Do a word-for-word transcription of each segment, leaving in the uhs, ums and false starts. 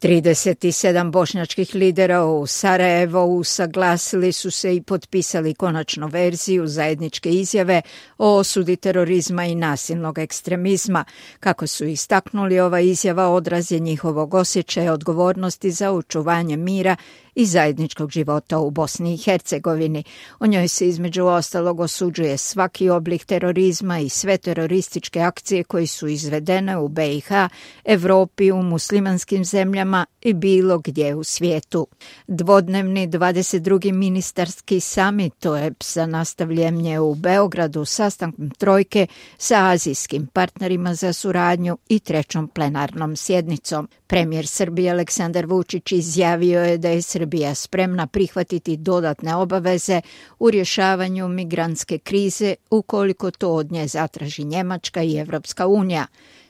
trideset sedam bošnjačkih lidera u Sarajevu usaglasili su se i potpisali konačnu verziju zajedničke izjave o osudi terorizma i nasilnog ekstremizma. Kako su istaknuli, ova izjava odraz je njihovog osjećaja odgovornosti za očuvanje mira i zajedničkog života u Bosni i Hercegovini. U njoj se između ostalog osuđuje svaki oblik terorizma i sve terorističke akcije koje su izvedene u B i H, Evropi, u muslimanskim zemljama i bilo gdje u svijetu. Dvodnevni dvadeset drugi ministarski samit O E B S-a nastavljen je u Beogradu sastankom trojke sa azijskim partnerima za suradnju i trećom plenarnom sjednicom. Premijer Srbije Aleksandar Vučić izjavio je da je Srbija spremna prihvatiti dodatne obaveze u rješavanju migrantske krize ukoliko to od nje zatraži Njemačka i Evropska unija.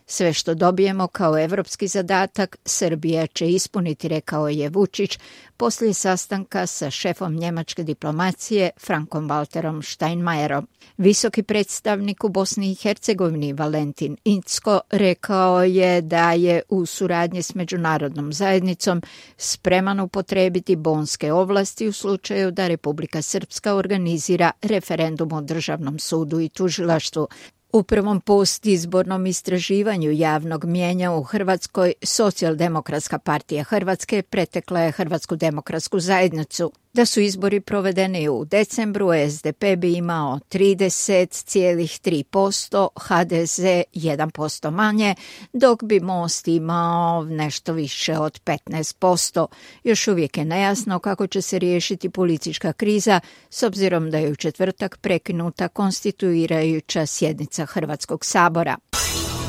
Sve što dobijemo kao evropski zadatak, Srbija će ispuniti, rekao je Vučić poslije sastanka sa šefom njemačke diplomacije Frankom Walterom Steinmeierom. Visoki predstavnik u Bosni i Hercegovini Valentin Incko rekao je da je u suradnji s međunarodnom zajednicom spreman upotrijebiti bonske ovlasti u slučaju da Republika Srpska organizira referendum o državnom sudu i tužilaštvu. U prvom postizbornom istraživanju javnog mnijenja u Hrvatskoj Socijaldemokratska partija Hrvatske pretekla je Hrvatsku demokratsku zajednicu. Da su izbori provedeni u decembru, S D P bi imao trideset zarez tri posto, H D Z jedan posto manje, dok bi Most imao nešto više od petnaest posto. Još uvijek je nejasno kako će se riješiti politička kriza, s obzirom da je u četvrtak prekinuta konstituirajuća sjednica Hrvatskog sabora.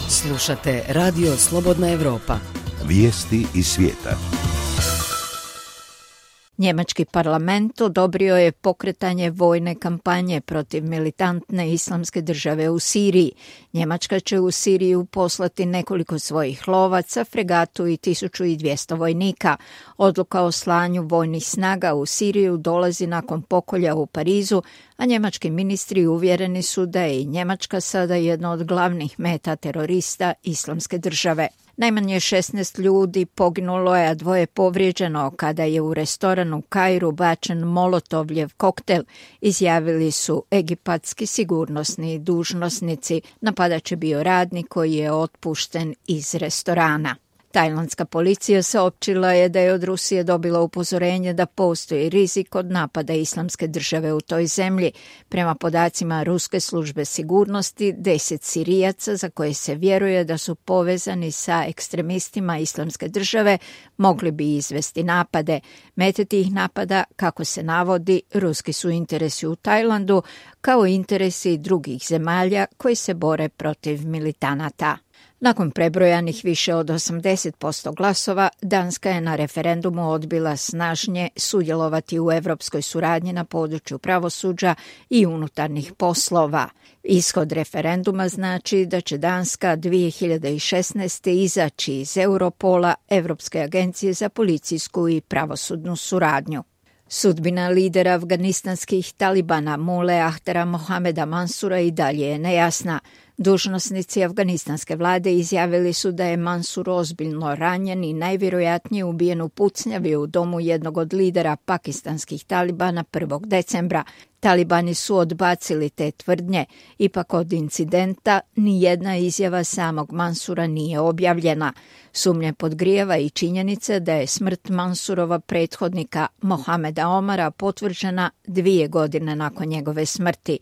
Slušate Radio Slobodna Evropa. Vijesti iz svijeta. Njemački parlament odobrio je pokretanje vojne kampanje protiv militantne islamske države u Siriji. Njemačka će u Siriju poslati nekoliko svojih lovaca, fregatu i tisuću dvjesto vojnika. Odluka o slanju vojnih snaga u Siriju dolazi nakon pokolja u Parizu, a njemački ministri uvjereni su da je i Njemačka sada jedna od glavnih meta terorista islamske države. Najmanje šesnaest ljudi poginulo je, a dvoje povrijeđeno kada je u restoranu u Kairu bačen molotovljev koktel, izjavili su egipatski sigurnosni dužnosnici. Napadač je bio radnik koji je otpušten iz restorana. Tajlandska policija saopćila je da je od Rusije dobila upozorenje da postoji rizik od napada islamske države u toj zemlji. Prema podacima ruske službe sigurnosti, deset Sirijaca za koje se vjeruje da su povezani sa ekstremistima islamske države mogli bi izvesti napade. Mete tih napada, kako se navodi, ruski su interesi u Tajlandu kao interesi drugih zemalja koji se bore protiv militanata. Nakon prebrojanih više od osamdeset posto glasova, Danska je na referendumu odbila snažnije sudjelovati u europskoj suradnji na području pravosuđa i unutarnjih poslova. Ishod referenduma znači da će Danska dvije hiljade šesnaeste. izaći iz Europola, Europske agencije za policijsku i pravosudnu suradnju. Sudbina lidera afganistanskih talibana Mule Ahtara Mohameda Mansura i dalje je nejasna. Dužnosnici afganistanske vlade izjavili su da je Mansur ozbiljno ranjen i najvjerojatnije ubijen u pucnjavi u domu jednog od lidera pakistanskih talibana prvog decembra. Talibani su odbacili te tvrdnje, ipak od incidenta ni jedna izjava samog Mansura nije objavljena. Sumnje podgrijava i činjenica da je smrt Mansurova prethodnika Mohameda Omara potvrđena dvije godine nakon njegove smrti.